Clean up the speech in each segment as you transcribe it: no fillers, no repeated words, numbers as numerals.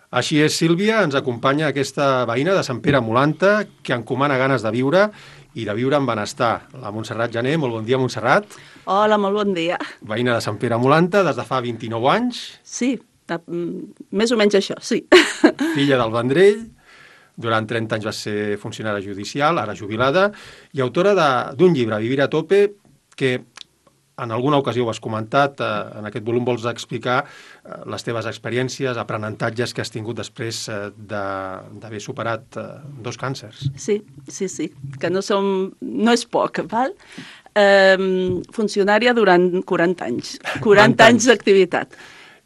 Així és, Sílvia, ens acompanya aquesta veïna de Sant Pere Molanta que encomana ganes de viure i de viure amb benestar. La Montserrat Jané, molt bon dia, Montserrat. Hola, molt bon dia. Veïna de Sant Pere Molanta des de fa 29 anys. Sí, més o menys això, sí. Filla del Vendrell, durant 30 anys va ser funcionària judicial, ara jubilada, i autora d'un llibre, Vivir a tope, que en alguna ocasió ho has comentat, en aquest volum vols explicar les teves experiències, aprenentatges que has tingut després d'haver superat 2 càncers. Sí, que no és poc, val? Funcionària durant 40 anys, 40 anys d'activitat.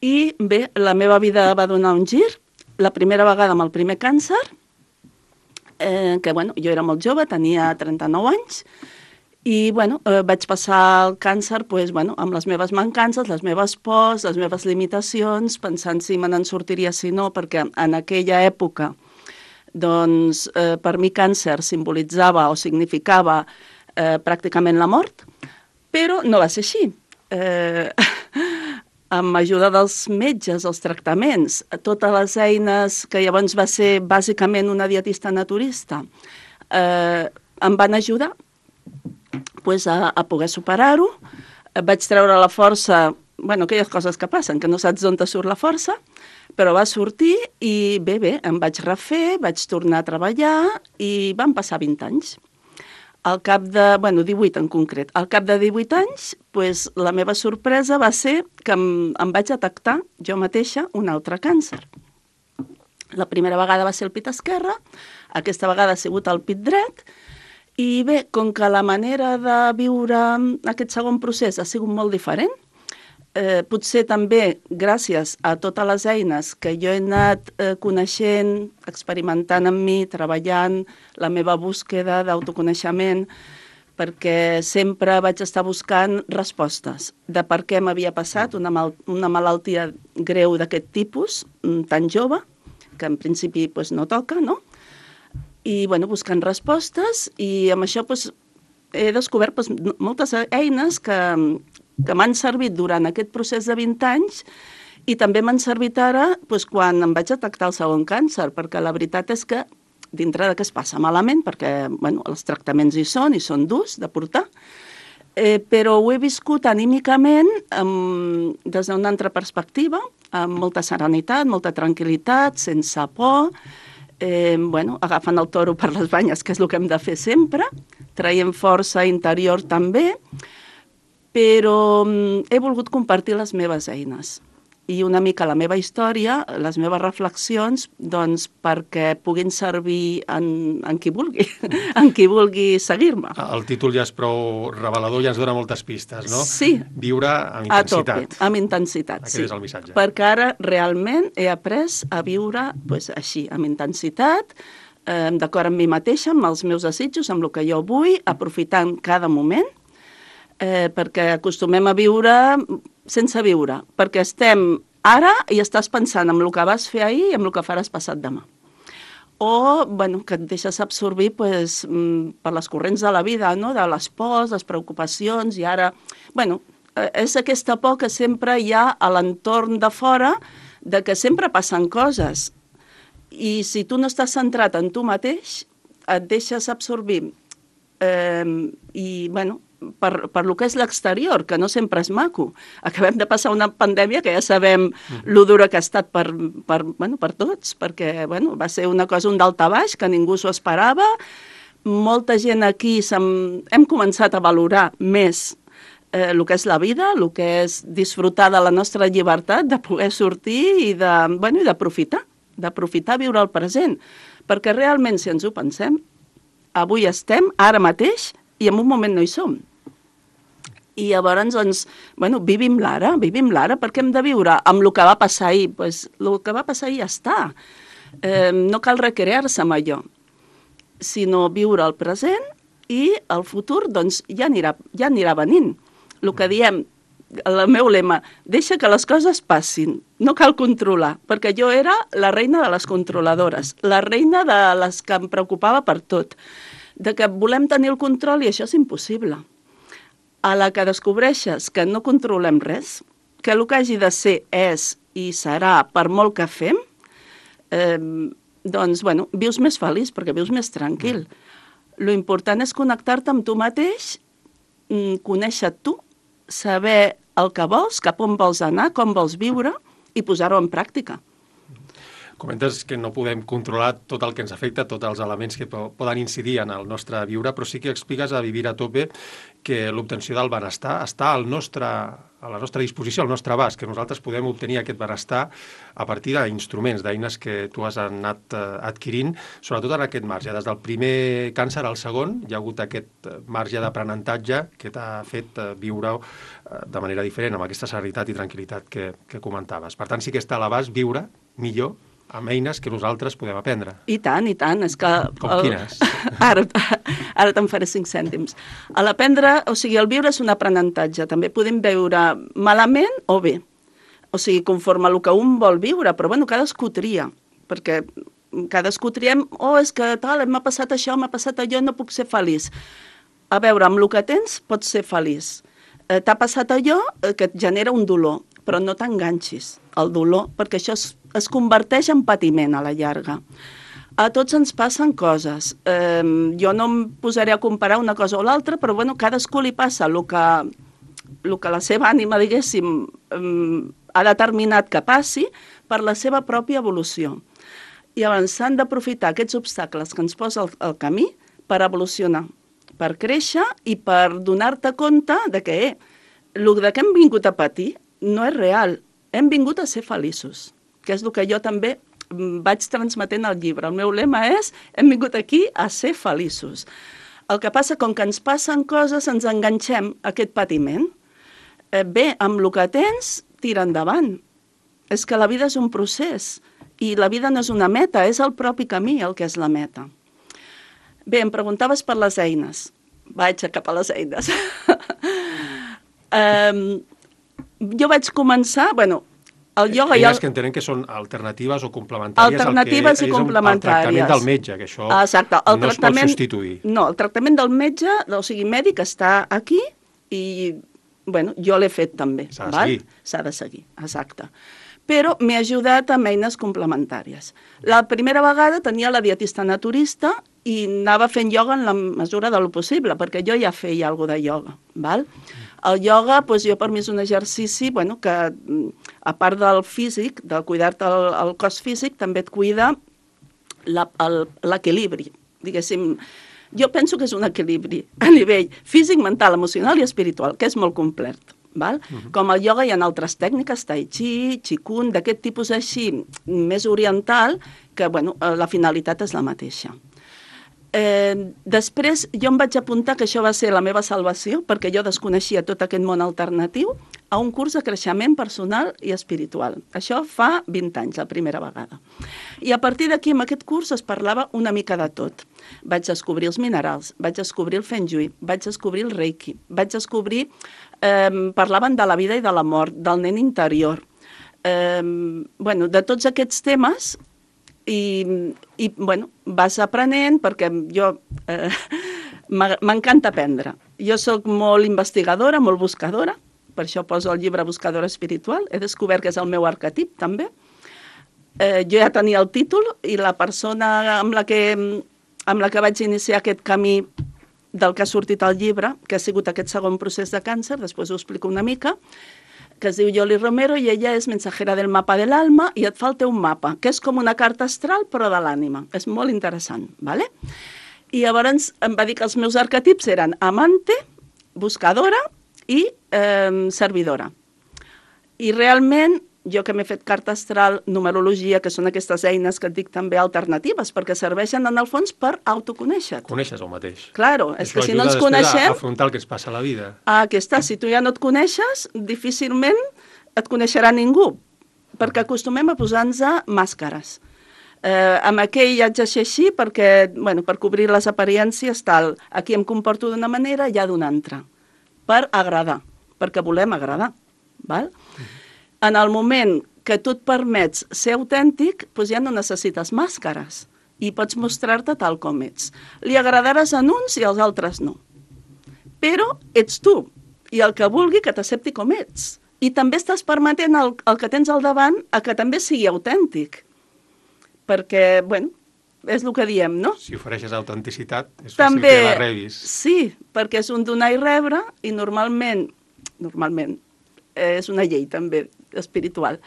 I bé, la meva vida va donar un gir, la primera vegada amb el primer càncer, que bueno, jo era molt jove, tenia 39 anys, i bueno, vaig passar el càncer amb les meves mancances, les meves pors, les meves limitacions, pensant si me n'en sortiria si no, perquè en aquella època doncs, per mi càncer simbolitzava o significava pràcticament la mort, però no va ser així. Amb ajuda dels metges, els tractaments, totes les eines que llavors va ser bàsicament una dietista naturista, em van ajudar a poder superar-ho. Vaig treure la força, aquelles coses que passen, que no saps d'on te surt la força, però va sortir i bé, em vaig refer, vaig tornar a treballar i van passar 20 anys. Al cap de, 18 en concret, al cap de 18 anys, la meva sorpresa va ser que em vaig detectar jo mateixa un altre càncer. La primera vegada va ser el pit esquerre, aquesta vegada ha sigut el pit dret, i bé, com que la manera de viure aquest segon procés ha sigut molt diferent, potser també gràcies a totes les eines que jo he anat coneixent, experimentant amb mi, treballant, la meva búsqueda d'autoconeixement, perquè sempre vaig estar buscant respostes de per què m'havia passat una malaltia greu d'aquest tipus, tan jove, que en principi no toca, no? I buscant respostes, i amb això he descobert moltes eines que m'han servit durant aquest procés de 20 anys i també m'han servit ara quan em vaig detectar el segon càncer, perquè la veritat és que dintre de que es passa malament, perquè els tractaments hi són durs de portar, però ho he viscut anímicament des d'una altra perspectiva, amb molta serenitat, molta tranquil·litat, sense por, agafant el toro per les banyes, que és el que hem de fer sempre, traient força interior també, però he volgut compartir les meves eines i una mica la meva història, les meves reflexions, doncs perquè puguin servir en qui vulgui, en qui vulgui seguir-me. El títol ja és prou revelador, ja ens dona moltes pistes, no? Sí. Viure amb intensitat. A tope, amb intensitat, sí. Aquest és el missatge. Perquè ara realment he après a viure així, amb intensitat, d'acord amb mi mateixa, amb els meus desitjos, amb el que jo vull, aprofitant cada moment, perquè acostumem a viure sense viure, perquè estem ara i estàs pensant en el que vas fer ahir i en el que faràs passat demà. O que et deixes absorbir per les corrents de la vida, no? De les pors, les preocupacions, i ara... és aquesta por que sempre hi ha a l'entorn de fora, de que sempre passen coses. I si tu no estàs centrat en tu mateix, et deixes absorbir per lo que és l'exterior, que no sempre és maco. Acabem de passar una pandèmia que ja sabem lo dura que ha estat per tots, perquè va ser una cosa, un daltabaix, que ningú s'ho esperava. Molta gent aquí hem començat a valorar més el que és la vida, el que és disfrutar de la nostra llibertat, de poder sortir i d'aprofitar viure el present. Perquè realment, si ens ho pensem, avui estem, ara mateix, i en un moment no hi som. I llavors, vivim l'ara, perquè hem de viure amb el que va passar ahir. El que va passar ahir ja està. No cal recrear-se amb allò, sinó viure el present i el futur ja anirà venint. El que diem, el meu lema, deixa que les coses passin, no cal controlar, perquè jo era la reina de les controladores, la reina de les que em preocupava per tot, de que volem tenir el control i això és impossible. A la que descobreixes que no controlem res, que el que hagi de ser és i serà per molt que fem, doncs, bueno, vius més feliç, perquè vius més tranquil. Lo important és connectar-te amb tu mateix, conèixer tu, saber el que vols, cap on vols anar, com vols viure i posar-ho en pràctica. Comentes que no podem controlar tot el que ens afecta, tots els elements que poden incidir en el nostre viure, però sí que expliques a Vivir a Tope que l'obtenció del benestar està a la nostra disposició, al nostre abast, que nosaltres podem obtenir aquest benestar a partir d'instruments, d'eines que tu has anat adquirint, sobretot en aquest marge. Des del primer càncer al segon hi ha hagut aquest marge d'aprenentatge que t'ha fet viure de manera diferent, amb aquesta serenitat i tranquil·litat que comentaves. Per tant, sí que està a l'abast viure millor amb eines que nosaltres podem aprendre. I tant, i tant. És que com quines? Ara te'n faré 5 cèntims. A l'aprendre, o sigui, el viure és un aprenentatge. També podem viure malament o bé. O sigui, conforme el que un vol viure, però bueno, cadascú tria, perquè cadascú triem, és que tal, m'ha passat això, m'ha passat allò, no puc ser feliç. A veure, amb el que tens pots ser feliç. T'ha passat allò que et genera un dolor, però no t'enganxis al dolor, perquè això es converteix en patiment a la llarga. A tots ens passen coses. Jo no em posaré a comparar una cosa o l'altra, però bueno, cadascú li passa el que la seva ànima, diguéssim, ha determinat que passi per la seva pròpia evolució. I llavors s'han d'aprofitar aquests obstacles que ens posa el camí per evolucionar, per créixer i per donar-te compte de que el que hem vingut a patir no és real. Hem vingut a ser feliços, que és el que jo també vaig transmetent al llibre. El meu lema és: hem vingut aquí a ser feliços. El que passa, com que ens passen coses, ens enganxem a aquest patiment. Bé, amb el que tens, tira endavant. És que la vida és un procés, i la vida no és una meta, és el propi camí el que és la meta. Bé, em preguntaves per les eines. Vaig cap a les eines. Jo vaig començar, el ioga... Eines que entenem que són alternatives o complementàries alternatives i complementàries. El tractament del metge, que això exacte, no es pot substituir. No, el tractament del metge, o sigui, mèdic, està aquí i, jo l'he fet també. S'ha de seguir. S'ha de seguir, exacte. Però m'he ajudat amb eines complementàries. La primera vegada tenia la dietista naturista i anava fent ioga en la mesura del possible, perquè jo ja feia alguna de ioga, val? El ioga, jo per mi és un exercici que, a part del físic, de cuidar-te el cos físic, també et cuida l'equilibri. Diguéssim, jo penso que és un equilibri a nivell físic, mental, emocional i espiritual, que és molt complet. Val? Com al ioga hi ha altres tècniques, tai chi, qigong, d'aquest tipus així, més oriental, que la finalitat és la mateixa. Després jo em vaig apuntar, que això va ser la meva salvació, perquè jo desconeixia tot aquest món alternatiu, a un curs de creixement personal i espiritual. Això fa 20 anys, la primera vegada. I a partir d'aquí, en aquest curs, es parlava una mica de tot. Vaig descobrir els minerals, vaig descobrir el feng shui, vaig descobrir el reiki, vaig descobrir... parlaven de la vida i de la mort, del nen interior, de tots aquests temes i vas aprenent, perquè jo m'encanta aprendre. Jo soc molt investigadora, molt buscadora, per això poso el llibre Buscadora Espiritual, he descobert que és el meu arquetip també. Jo ja tenia el títol i la persona amb la que vaig iniciar aquest camí del que ha sortit al llibre, que ha sigut aquest segon procés de càncer, després ho explico una mica, que es diu Yoli Romero i ella és mensajera del mapa de l'alma i et fa el teu mapa, que és com una carta astral però de l'ànima. És molt interessant, ¿vale? I llavors em va dir que els meus arquetips eren amante, buscadora i servidora. I realment, jo que m'he fet carta astral, numerologia, que són aquestes eines que et dic també alternatives, perquè serveixen en el fons per autoconèixer-te. Coneixes el mateix. Claro, és que si no ens coneixem... A afrontar el que ens passa a la vida. Aquí està, si tu ja no et coneixes, difícilment et coneixerà ningú, perquè acostumem a posar-nos màscares. Amb aquell haig de ser així perquè, per cobrir les apariències, tal, aquí em comporto d'una manera i ja d'una altra, per agradar, perquè volem agradar, val? En el moment que tu et permets ser autèntic, doncs ja no necessites màscares i pots mostrar-te tal com ets. Li agradaràs a uns i als altres no. Però ets tu i el que vulgui que t'accepti com ets. I també estàs permetent el que tens al davant a que també sigui autèntic. perquè, bueno, és el que diem, no? Si ofereixes autenticitat, és fàcil També, que la rebis. sí, perquè és un donar i rebre, i normalment, és una llei també espiritual.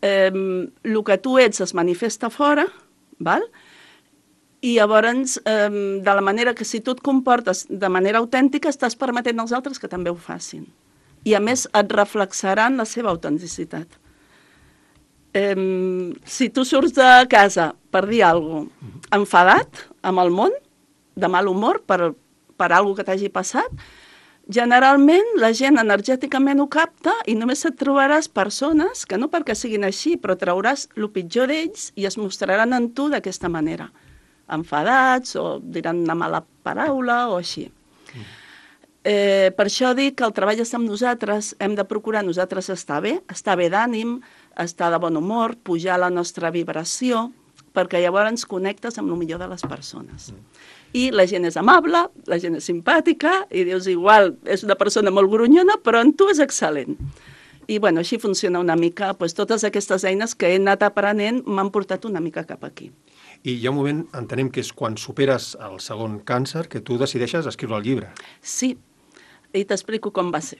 El que tu ets es manifesta fora, val? I llavors, de la manera que si tu et comportes de manera autèntica, estàs permetent als altres que també ho facin. I a més et reflexaran la seva autenticitat. Si tu surts de casa per dir alguna cosa enfadat amb el món, de mal humor per alguna que t'hagi passat, generalment la gent energèticament ho capta i només et trobaràs persones que no perquè siguin així, però trauràs el pitjor d'ells i es mostraran en tu d'aquesta manera, enfadats o diran una mala paraula o així. Per això dic que el treball està amb nosaltres, hem de procurar nosaltres estar bé d'ànim, estar de bon humor, pujar la nostra vibració, perquè llavors ens connectes amb el millor de les persones. I la gent és amable, la gent és simpàtica, i dius, igual, és una persona molt grunyona, però en tu és excel·lent. I bueno, així funciona una mica, doncs, totes aquestes eines que he anat aprenent m'han portat una mica cap aquí. I hi ha un moment, entenem que és quan superes el segon càncer, que tu decideixes escriure el llibre. Sí, i t'explico com va ser.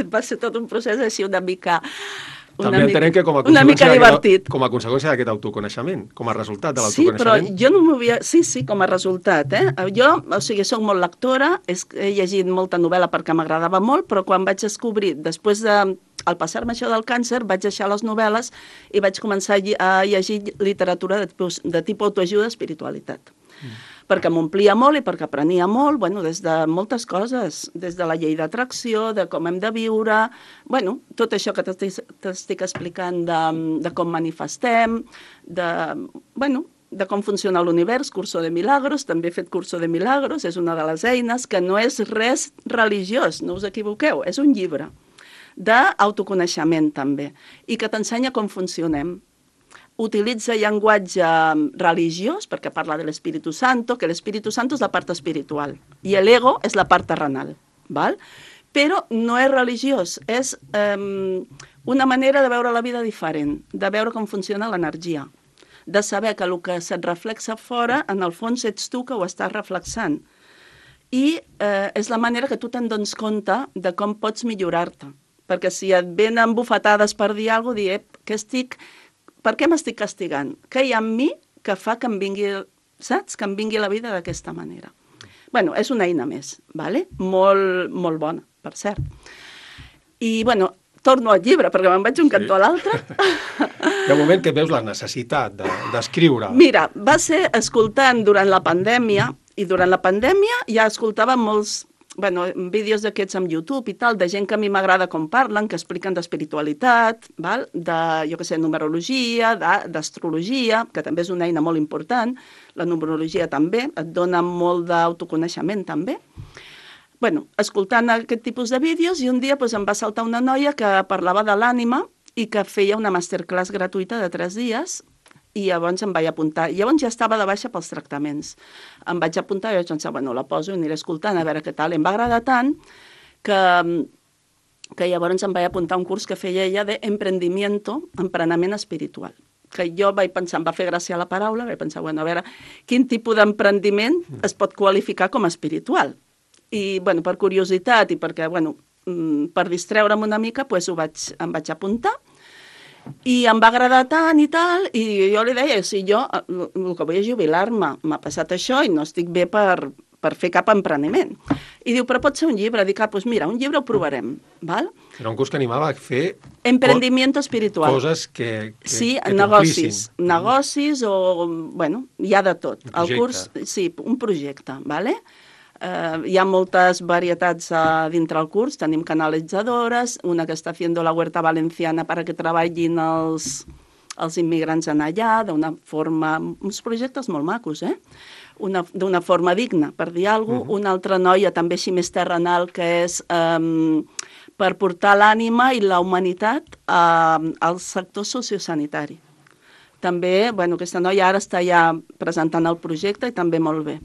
Va ser tot un procés així una mica entenem que com a conseqüència d'aquest autoconeixement, com a resultat de l'autoconeixement. Sí, però jo no m'havia... Sí, com a resultat, Jo, soc molt lectora, he llegit molta novel·la perquè m'agradava molt, però quan vaig descobrir, després al passar-me això del càncer, vaig deixar les novel·les i vaig començar a llegir literatura de tipus autoajuda, espiritualitat. Perquè m'omplia molt i perquè aprenia molt, des de moltes coses, des de la llei d'atracció, de com hem de viure, tot això que t'estic explicant de com manifestem, de com funciona l'univers, Curso de Milagros, també he fet Curso de Milagros, és una de les eines, que no és res religiós, no us equivoqueu, és un llibre d'autoconeixement també, i que t'ensenya com funcionem. Utilitza llenguatge religiós, perquè parla de l'Espíritu Santo, que l'Espíritu Santo és la part espiritual, i l'ego és la part terrenal, val? Però no és religiós, és una manera de veure la vida diferent, de veure com funciona l'energia, de saber que el que se't reflexa fora, en el fons ets tu que ho estàs reflexant. I és la manera que tu te'n dones compte de com pots millorar-te, perquè si et venen bufetades per dir alguna cosa, per què m'estic castigant? Què hi ha en mi que fa que em vingui, saps? Que em vingui la vida d'aquesta manera. És una eina més, vale? Molt, molt bona, per cert. I, torno al llibre, perquè me'n vaig un cantó a l'altre. Hi ha un moment que veus la necessitat d'escriure. Mira, va ser escoltant durant la pandèmia, i durant la pandèmia ja escoltava molts vídeos d'aquests amb YouTube i tal, de gent que a mi m'agrada com parlen, que expliquen d'espiritualitat, de, numerologia, d'astrologia, que també és una eina molt important, la numerologia també, et dona molt d'autoconeixement també. Escoltant aquest tipus de vídeos, i un dia em va saltar una noia que parlava de l'ànima i que feia una masterclass gratuïta de 3 dies, i llavors em vaig apuntar. Llavors ja estava de baixa pels tractaments. Em vaig apuntar i vaig pensar, la poso i aniré escoltant a veure què tal. I em va agradar tant que llavors em vaig apuntar a un curs que feia ella d'empreniment espiritual. Que jo vaig pensar, em va fer gràcia la paraula, vaig pensar, a veure, quin tipus d'emprendiment es pot qualificar com a espiritual. I, per curiositat i perquè, per distreure'm una mica, em vaig apuntar. I em va agradar tant i tal, i jo li deia, si jo el que vull és jubilar-me, m'ha passat això i no estic bé per fer cap empreniment. I diu, però pot ser un llibre. Dic, doncs mira, un llibre ho provarem, val? Era un curs que animava a fer... Emprendiment espiritual. Coses que sí, negocis o... hi ha de tot. El curs, sí, un projecte, vale? Hi ha moltes varietats dintre el curs, tenim canalitzadores, una que està fent la Huerta Valenciana perquè treballin els immigrants en allà, d'una forma... uns projectes molt macos, d'una forma digna, per dir alguna cosa. Una altra noia, també així més terrenal, que és per portar l'ànima i la humanitat al sector sociosanitari. També, aquesta noia ara està ja presentant el projecte i també molt bé.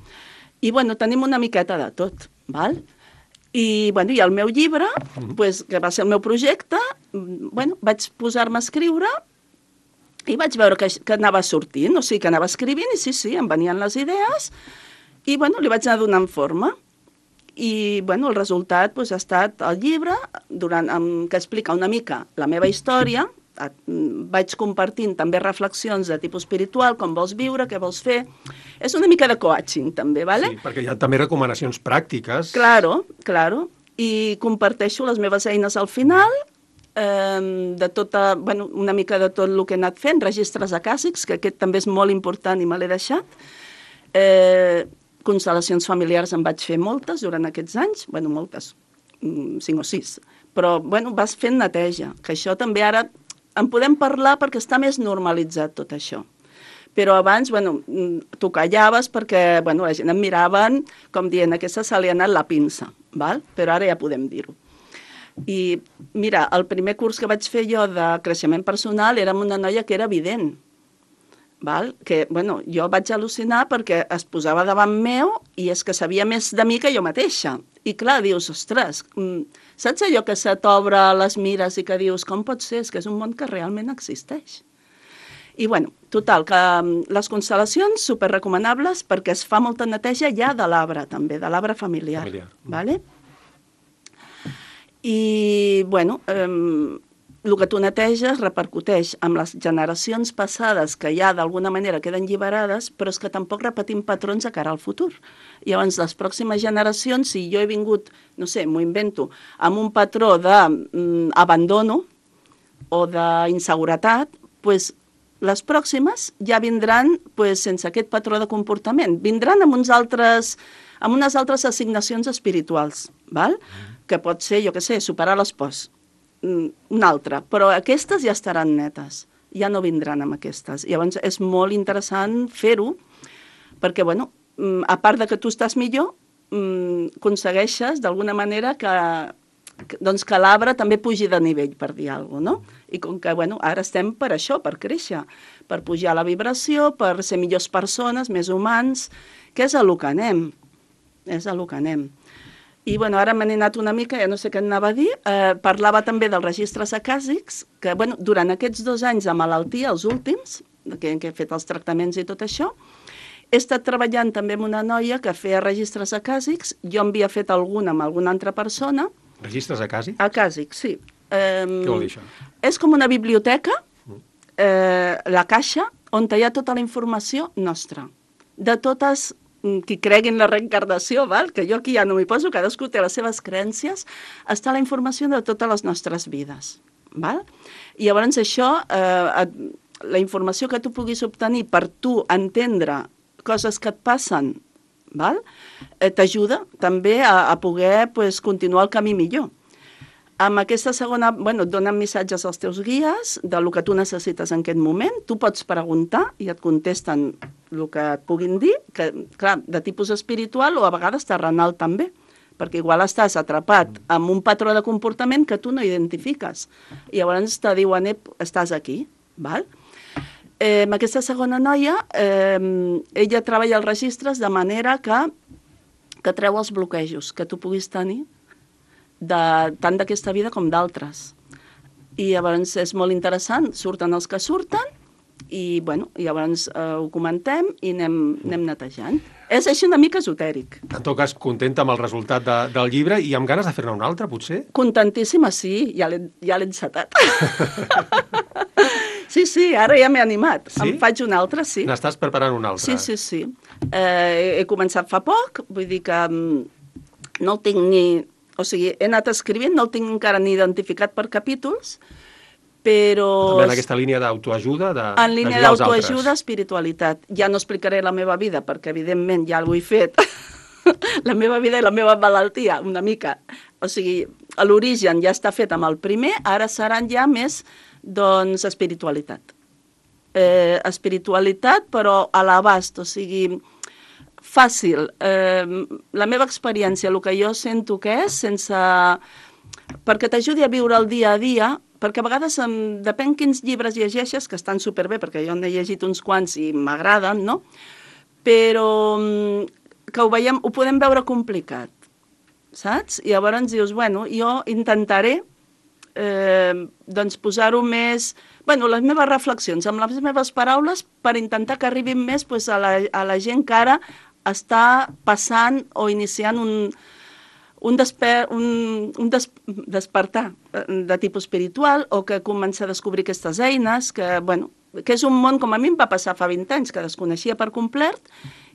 I, tenim una miqueta de tot, val? I el meu llibre, que va ser el meu projecte, vaig posar-me a escriure I vaig veure que anava sortint, o sigui, que anava escrivint, i sí, em venien les idees, i, bueno, li vaig anar donant forma. I, bueno, el resultat doncs, ha estat el llibre, que explica una mica la meva història. Vaig compartint també reflexions de tipus espiritual, com vols viure, què vols fer. És una mica de coaching, també, ¿vale? Sí, perquè hi ha també recomanacions pràctiques. Claro. I comparteixo les meves eines al final, una mica de tot el que he anat fent, registres acàsics, que aquest també és molt important i me l'he deixat. Constel·lacions familiars en vaig fer moltes durant aquests anys, moltes, 5 o 6, però vas fent neteja, que això també ara en podem parlar perquè està més normalitzat tot això. Però abans, tu callaves perquè la gent em miraven com dient aquesta se li ha anat la pinça, val? Però ara ja podem dir-ho. I mira, el primer curs que vaig fer jo de creixement personal era amb una noia que era vident, val? Que jo vaig al·lucinar perquè es posava davant meu i és que sabia més de mi que jo mateixa. I clar, dius, ostres, saps allò que se t'obre les mires i que dius, com pot ser? És que és un món que realment existeix. I total, que les constel·lacions superrecomanables perquè es fa molta neteja ja de l'arbre, també, de l'arbre familiar. Vale? I, el que tu neteges repercuteix amb les generacions passades que ja d'alguna manera queden lliberades, però és que tampoc repetim patrons de cara al futur. Llavors, les pròximes generacions, si jo he vingut, no sé, m'ho invento, amb un patró d'abandono o d'inseguretat, doncs les pròximes ja vindran sense aquest patró de comportament. Vindran amb unes altres assignacions espirituals, val? Que pot ser, jo què sé, superar les pors, una altra, però aquestes ja estaran netes, ja no vindran amb aquestes. Llavors és molt interessant fer-ho, perquè, a part de que tu estàs millor, aconsegueixes d'alguna manera que l'arbre també pugi de nivell, per dir alguna cosa, no? I com que, ara estem per això, per créixer, per pujar la vibració, per ser millors persones, més humans, que és a lo que anem. I, ara me n'he anat una mica, ja no sé què anava a dir, parlava també dels registres acàsics, que, durant aquests 2 anys de malaltia, els últims, que he fet els tractaments i tot això, he estat treballant també amb una noia que feia registres acàsics, jo en havia fet algun amb alguna altra persona. Registres acàsics? Acàsics, sí. Què vol dir això? És com una biblioteca, la caixa, on hi ha tota la informació nostra, de totes qui creguin la reencarnació, val? Que jo aquí ja no m'hi poso, cadascú té les seves creences, està la informació de totes les nostres vides. Val? I llavors això, la informació que tu puguis obtenir per tu entendre coses que et passen, val? T'ajuda també a poder continuar el camí millor. Amb aquesta segona, et donen missatges als teus guies del que tu necessites en aquest moment. Tu pots preguntar i et contesten el que et puguin dir, que, clar, de tipus espiritual o a vegades terrenal també, perquè igual estàs atrapat amb un patró de comportament que tu no identifiques. I llavors te diuen, estàs aquí, val? Amb aquesta segona noia, ella treballa els registres de manera que treu els bloquejos que tu puguis tenir tant d'aquesta vida com d'altres. I llavors és molt interessant, surten els que surten i llavors ho comentem i anem netejant. És així una mica esotèric. En tot cas, contenta amb el resultat del llibre i amb ganes de fer-ne un altre, potser? Contentíssima, sí, ja l'he encetat. Sí, ara ja m'he animat. Sí? Em faig un altre, sí. N'estàs preparant un altre? Sí. He començat fa poc, vull dir que no el tinc ni... O sigui, he anat escrivint, no el tinc encara ni identificat per capítols, però... També en aquesta línia d'autoajuda, en línia d'autoajuda, espiritualitat. Ja no explicaré la meva vida, perquè evidentment ja ho he fet. La meva vida i la meva malaltia, una mica. O sigui, l'origen ja està fet amb el primer, ara seran ja més, doncs, espiritualitat. Espiritualitat, però a l'abast, o sigui... fàcil. La meva experiència, el que jo sento que és, perquè t'ajudi a viure el dia a dia, perquè a vegades depèn quins llibres llegeixes, que estan superbé, perquè jo n'he llegit uns quants i m'agraden, no? Però que ho podem veure complicat, saps? I llavors dius, jo intentaré doncs posar-ho més... Bueno, les meves reflexions, amb les meves paraules, per intentar que arribin més doncs, a la gent que ara està passant o iniciant un despertar de tipus espiritual o que comença a descobrir aquestes eines, que, bueno, que és un món, com a mi em va passar fa 20 anys, que desconeixia per complet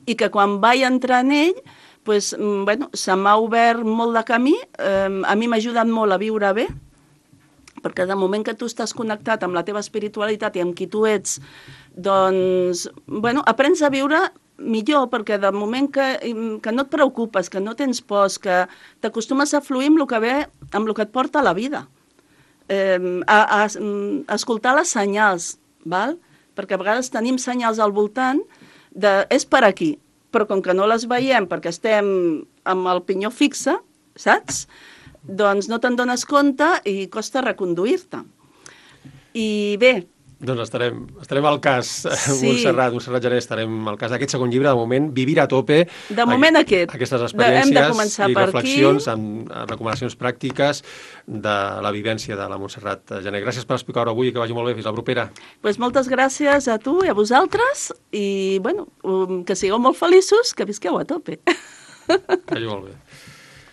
i que quan vaig entrar en ell, pues, bueno, se m'ha obert molt de camí, a mi m'ha ajudat molt a viure bé, perquè de moment que tu estàs connectat amb la teva espiritualitat i amb qui tu ets, doncs, bueno, aprens a viure millor, perquè de moment que no et preocupes, que no tens pors, que t'acostumes a fluir amb el que ve, amb el que et porta a la vida, a escoltar les senyals, val? Perquè a vegades tenim senyals al voltant de és per aquí, però com que no les veiem perquè estem amb el pinyó fixe, saps? Doncs no te'n dones compte i costa reconduir-te. I bé... Doncs estarem al cas, sí. Montserrat Gené, estarem al cas d'aquest segon llibre, de moment, Vivir a tope. De moment aquestes experiències i reflexions aquí. amb recomanacions pràctiques de la vivència de la Montserrat Gené. Gràcies per explicar-ho avui i que vagi molt bé. Fins la propera. Pues moltes gràcies a tu i a vosaltres i, bueno, que sigueu molt feliços, que visqueu a tope. Que vagi molt bé.